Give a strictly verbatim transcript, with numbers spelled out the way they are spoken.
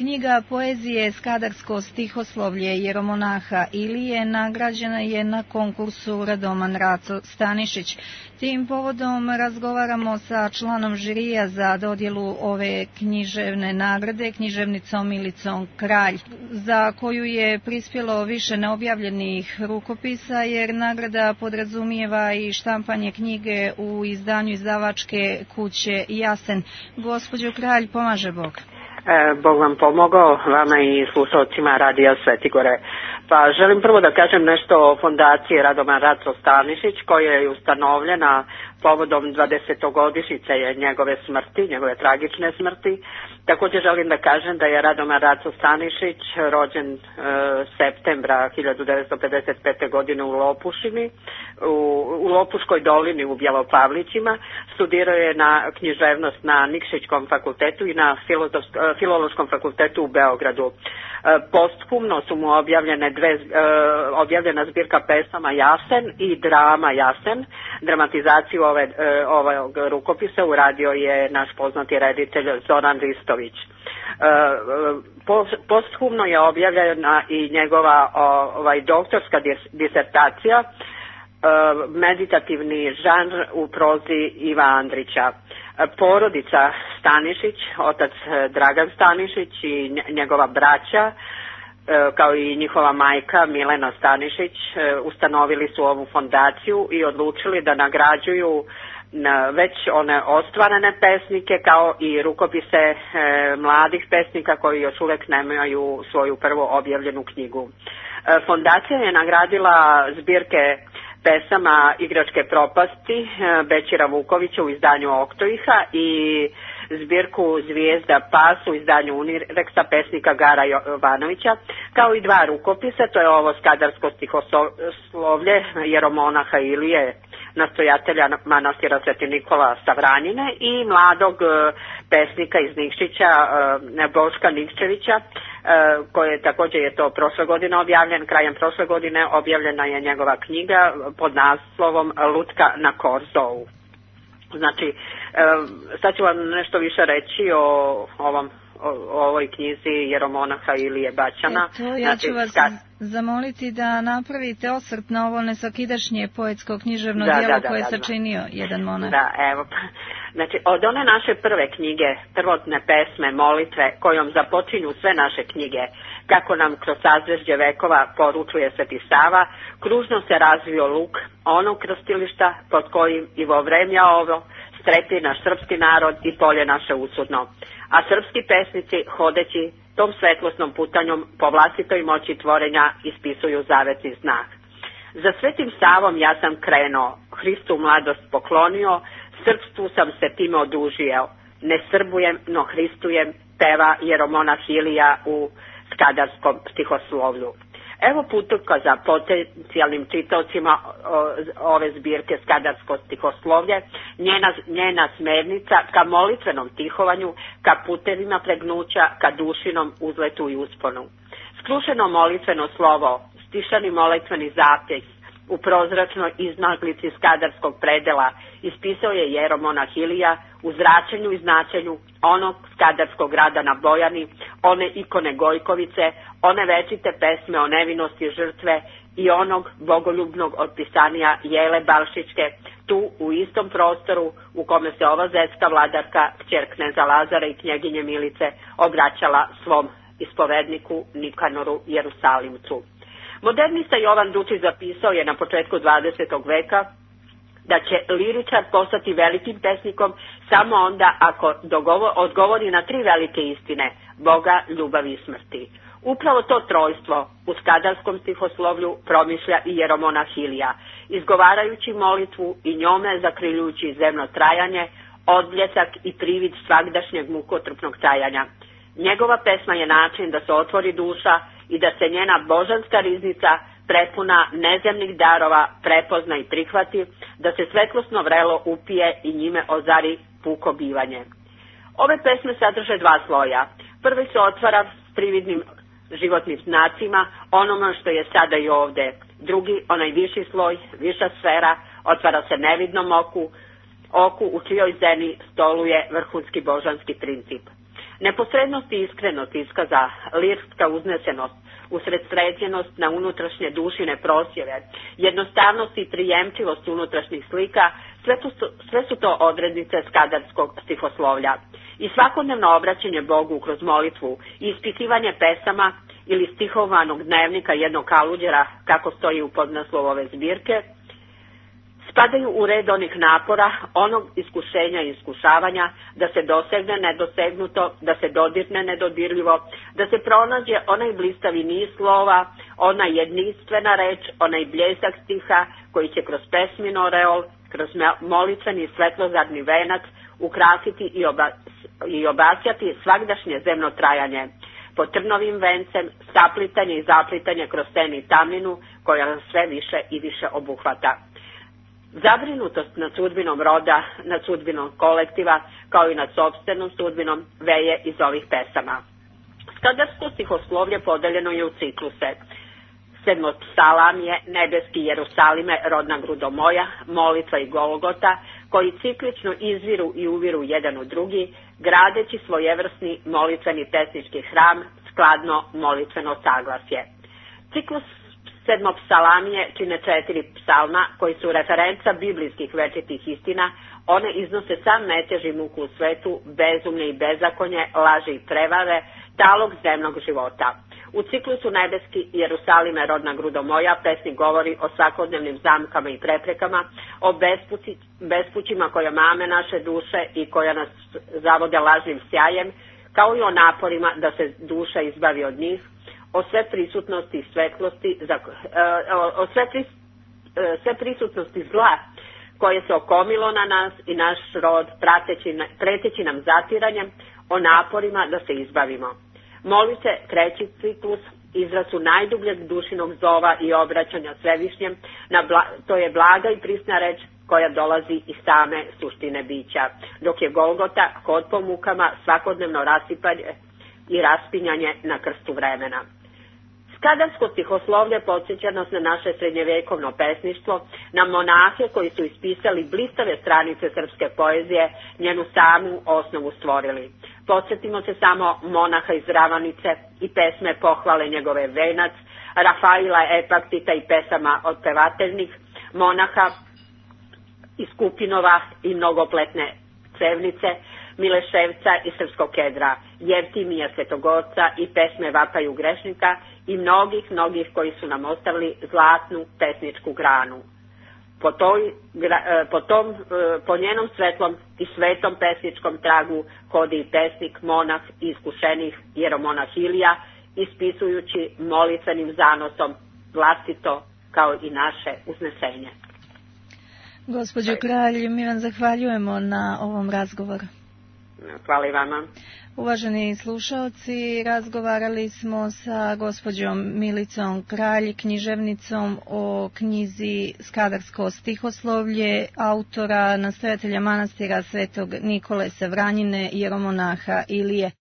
Knjiga poezije Skadarsko stihoslovlje jeromonaha Ilije nagrađena je na konkursu Radoman Raco Stanišić. Tim povodom razgovaramo sa članom žirija za dodjelu ove književne nagrade, književnicom Milicom Kralj, za koju je prispjelo više neobjavljenih rukopisa, jer nagrada podrazumijeva i štampanje knjige u izdanju izdavačke kuće Jasen. Gospođo Kralj, pomaže Bog. E, Bog vam pomogao, vama i slušalcima Radija Svetigore. Pa želim prvo da kažem nešto o fondaciji Radoman Raco Stanišić, koja je ustanovljena povodom dvadesetogodišnjice njegove smrti, njegove tragične smrti. Također želim da kažem da je Radoman Raco Stanišić rođen e, septembra hiljadu devetsto pedeset pete. godine u Lopušini, u, u Lopuškoj dolini u Bjelopavlićima. Studirao je na književnost na Nikšićkom fakultetu i na Filološkom fakultetu u Beogradu. E, posthumno su mu objavljene dve, e, objavljena zbirka pesama Jasen i drama Jasen. Dramatizaciju ove, e, ovog rukopisa uradio je naš poznati reditelj Zoran Ristović. E, posthumno je objavljena i njegova ovaj, doktorska disertacija, e, meditativni žanr u prozi Iva Andrića. Porodica Stanišić, otac Dragan Stanišić i njegova braća, kao i njihova majka Milena Stanišić, ustanovili su ovu fondaciju i odlučili da nagrađuju već one ostvarene pesnike kao i rukopise e, mladih pesnika koji još uvijek nemaju svoju prvo objavljenu knjigu. E, fondacija je nagradila zbirke pesama Igračke propasti e, Bećira Vukovića u izdanju Oktoiha i zbirku Zvijezda pas u izdanju Unireksa pesnika Gara Jovanovića, kao i dva rukopisa, to je ovo Skadarsko stihoslovlje jeromonaha Ilije, nastojatelja manastira Sveti Nikola Savranjine, i mladog pesnika iz Nikšića Boška Nikčevića, koje također je to prošle godine objavljen, krajem prošle godine objavljena je njegova knjiga pod naslovom Lutka na Korzovu. Znači, sad ću vam nešto više reći o ovom o, o ovoj knjizi jeromonaha Ilije Baćana. Eto, ja ću vas kad... zamoliti da napravite osvrt na ovo nesvakidašnje poetsko književno da, djelo da, da, koje je da, sačinio jedan monah. Da, evo. Znači, od one naše prve knjige, prvotne pesme, molitve, kojom započinju sve naše knjige, kako nam kroz sazvežđe vekova poručuje Sveti Sava, kružno se razvio luk onog krstilišta pod kojim i vo vremja ovo strepi naš srpski narod i polje naše usudno. A srpski pesnici, hodeći tom svetlosnom putanjom po vlastitoj moći tvorenja, ispisuju zavetni znak. Za Svetim Savom ja sam krenuo, Hristu mladost poklonio, srpstvu sam se time odužio. Ne srbujem, no hristujem, peva jeromonah Ilija u skadarskom stihoslovlju. Evo putovka za potencijalnim čitaocima ove zbirke Skadarsko stihoslovlje, njena, njena smernica ka molitvenom tihovanju, ka putevima pregnuća, ka dušinom uzletu i usponu. Skrušeno molitveno slovo, stišani molitveni zapis u prozračnoj izmaglici skadarskog predela ispisao je jeromonah Ilija u zračenju i značenju onog skadarskog grada na Bojani, one ikone Gojkovice, one večite pesme o nevinosti žrtve i onog bogoljubnog otpisanija Jele Balšićke, tu u istom prostoru u kome se ova zetska vladarka, kćer kneza Lazara i knjeginje Milice, obraćala svom ispovedniku Nikanoru Jerusalimcu. Modernista Jovan Dučić zapisao je na početku dvadesetog veka da će liričar postati velikim pesnikom samo onda ako dogovor, odgovori na tri velike istine, Boga, ljubavi i smrti. Upravo to trojstvo u skadarskom stihoslovlju promišlja i jeromonah Ilija, izgovarajući molitvu i njome zakriljujući zemno trajanje, odbljesak i privid svagdašnjeg mukotrpnog trajanja. Njegova pesma je način da se otvori duša i da se njena božanska riznica prepuna nezemnih darova prepozna i prihvati, da se svetlosno vrelo upije i njime ozari puko bivanje. Ove pesme sadrže dva sloja. Prvi se otvara s prividnim životnim znacima, onome što je sada i ovde. Drugi, onaj viši sloj, viša sfera, otvara se nevidnom oku, oku u čijoj zeni stoluje vrhunski božanski princip. Neposrednost i iskrenost iskaza, lirska uznesenost, usredsređenost na unutrašnje dušine prosjeve, jednostavnost i prijemčivost unutrašnjih slika, sve, tu, sve su to odrednice skadarskog stihoslovlja. I svakodnevno obraćanje Bogu kroz molitvu i ispitivanje pesama ili stihovanog dnevnika jednog kaluđera, kako stoji u podnaslovu ove zbirke, spadaju u red onih napora, onog iskušenja i iskušavanja, da se dosegne nedosegnuto, da se dodirne nedodirljivo, da se pronađe onaj blistavi niz slova, ona jedinstvena reč, onaj bljesak stiha koji će kroz pesmin oreol, kroz molitveni svetlozarni venac ukrasiti i, oba, i obasjati svagdašnje zemno trajanje. Po trnovim vencem, saplitanje i zaplitanje kroz sen i tamninu koja sve više i više obuhvata. Zabrinutost nad sudbinom roda, nad sudbinom kolektiva, kao i nad sopstvenom sudbinom, veje iz ovih pesama. Skadarsko stihoslovlje podeljeno je u cikluse. Sedmopsalam je Nebeski Jerusalime, rodna grudo moja, molitva i Golgota, koji ciklično izviru i uviru jedan u drugi, gradeći svojevrsni molitveni pesnički hram, skladno molitveno saglasje. Ciklus sedmopsalamije čine četiri psalma koji su referenca biblijskih večitih istina. One iznose sam metež i muku u svetu, bezumlje i bezakonje, laži i prevare, talog zemnog života. U ciklusu Nebeski Jerusalime, rodna grudo moja, pesnik govori o svakodnevnim zamkama i preprekama, o bespući, bespućima koja mame naše duše i koja nas zavode lažnim sjajem, kao i o naporima da se duša izbavi od njih, o sve prisutnosti i svetlosti, o sve, pris, sve prisutnosti zla koje se okomilo na nas i naš rod, prateći, preteći nam zatiranjem, o naporima da se izbavimo. Molite, treći ciklus, izraz su najdubljeg dušinog zova i obraćanja Svevišnjem, na bla, to je blaga i prisna reč koja dolazi iz same suštine bića, dok je Golgota hod po mukama, svakodnevno rasipanje i raspinjanje na krstu vremena. Skadarsko stihoslovlje podsjeća nas na naše srednjevjekovno pesništvo, na monahe koji su ispisali blistave stranice srpske poezije, njenu samu osnovu stvorili. Podsjetimo se samo monaha iz Ravanice i pesme pohvale njegove Venac, Rafaila Epaktita i pesama otpevateljnih, monaha iz Kupinova i mnogopletne Cevnice, Mileševca i Srpskog Kedra, Jevtimija Svetogorca i pesme Vapaju grešnika i mnogih, mnogih koji su nam ostavili zlatnu pesničku granu. Po, toj, po, tom, po njenom svetlom i svetom pesničkom tragu hodi i pesnik, monah i iskušenih jeromonah Ilija, ispisujući molitvenim zanosom vlastito kao i naše uznesenje. Gospođo Kralj, mi vam zahvaljujemo na ovom razgovoru. Hvala i vama. Uvaženi slušaoci, razgovarali smo sa gospođom Milicom Kralj, književnicom, o knjizi Skadarsko stihoslovlje autora, nastojatelja manastira Svetog Nikole Sevranjine, jeromonaha Ilije.